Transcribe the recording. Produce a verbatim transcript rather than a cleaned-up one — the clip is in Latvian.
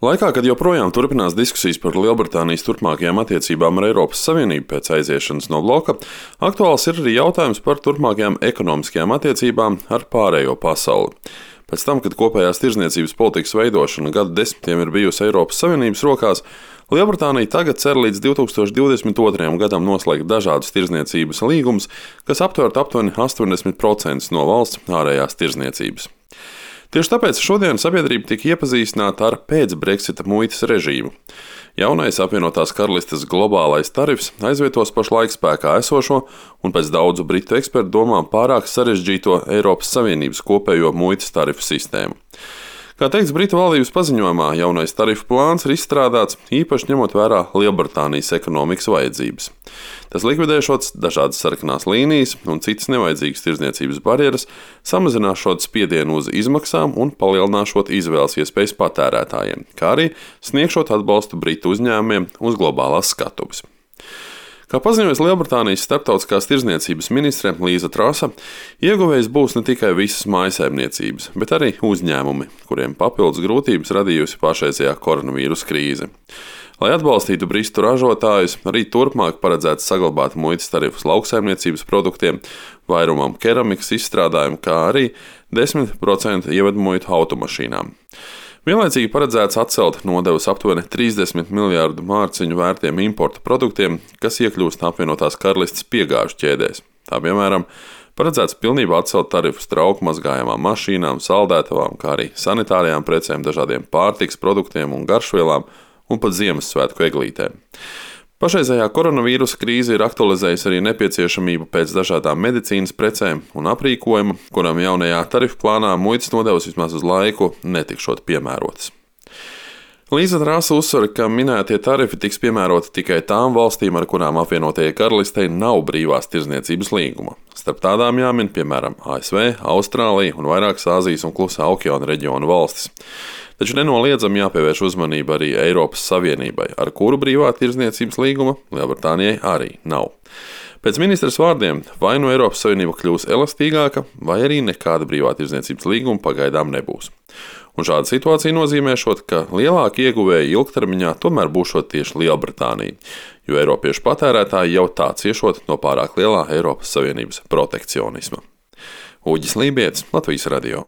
Laikā, kad joprojām turpinās diskusijas par Lielbritānijas turpmākajām attiecībām ar Eiropas Savienību pēc aiziešanas no bloka, aktuāls ir arī jautājums par turpmākajām ekonomiskajām attiecībām ar pārējo pasauli. Pēc tam, kad kopējās tirdzniecības politikas veidošana gadu desmitiem ir bijusi Eiropas Savienības rokās, Lielbritānija tagad cer līdz divi tūkstoši divdesmit otrajam gadam noslēgt dažādus tirdzniecības līgumus, kas aptvertu aptuveni astoņdesmit procentus no valsts ārējās tirdzniecības. Tieši tāpēc šodien sabiedrība tika iepazīstināta ar pēc-Brexita muitas režīmu. Jaunais apvienotās karalistes globālais tarifs aizvietos pašlaik spēkā esošo un pēc daudzu britu ekspertu domām pārāk sarežģīto Eiropas Savienības kopējo muitas tarifu sistēmu. Kā teikts Britu valdības paziņojumā, jaunais tarifu plāns ir izstrādāts īpaši ņemot vērā Lielbritānijas ekonomikas vajadzības. Tas likvidēšot dažādas sarkanās līnijas un citas nevajadzīgas tirdzniecības barjeras, samazināšot spiedienu uz izmaksām un palielināšot izvēles iespējas patērētājiem, kā arī sniegšot atbalstu Britu uzņēmumiem uz globālās skatuves. Kā paziņojas Lielbritānijas starptautiskās tirdzniecības ministre Līza Trasa, ieguvējs būs ne tikai visas mājsaimniecības, bet arī uzņēmumi, kuriem papildus grūtības radījusi pašreizējā koronavīrusa krīze. Lai atbalstītu britu ražotājus, arī turpmāk paredzēts saglabāt muitas tarifus lauksaimniecības produktiem, vairumam keramikas izstrādājumu, kā arī desmit procentu ievedu muitu automašīnām. Vienlaicīgi paredzēts atcelt nodevas aptuveni trīsdesmit miljārdu mārciņu vērtiem importa produktiem, kas iekļūst apvienotās karalistes piegāžu ķēdēs. Tā piemēram, paredzēts pilnībā atcelt tarifus trauku mazgājamām mašīnām, saldētavām, kā arī sanitārajām precēm, dažādiem pārtikas produktiem un garšvielām un pat Ziemassvētku eglītēm. Pašreizējā koronavīrusa krīze ir aktualizējusi arī nepieciešamību pēc dažādām medicīnas precēm un aprīkojuma, kuram jaunajā tarifu plānā muitas nodevas vismaz uz laiku netikšot piemērotas. Līza Trasa uzsver, ka minētie tarifi tiks piemēroti tikai tām valstīm, ar kurām apvienotajai karalistei nav brīvās tirdzniecības līguma. Starp tādām jāmin, piemēram, A S V, Austrālija un vairākas Āzijas un Klusā okeāna reģiona valstis. Taču nenoliedzami jāpievērš uzmanība arī Eiropas Savienībai, ar kuru brīvā tirdzniecības līguma Lielbritānijai arī nav. Pēc ministres vārdiem, vai nu Eiropas Savienība kļūs elastīgāka, vai arī nekāda brīvā tirdzniecības līguma pagaidām nebūs. Un šāda situācija nozīmēšot, ka lielāki ieguvēji ilgtermiņā tomēr būšot tieši Lielbritānija, jo eiropiešu patērētāji jau tā ciešot no pārāk lielā Eiropas Savienības protekcionisma. Uģis Lībietis, Latvijas radio.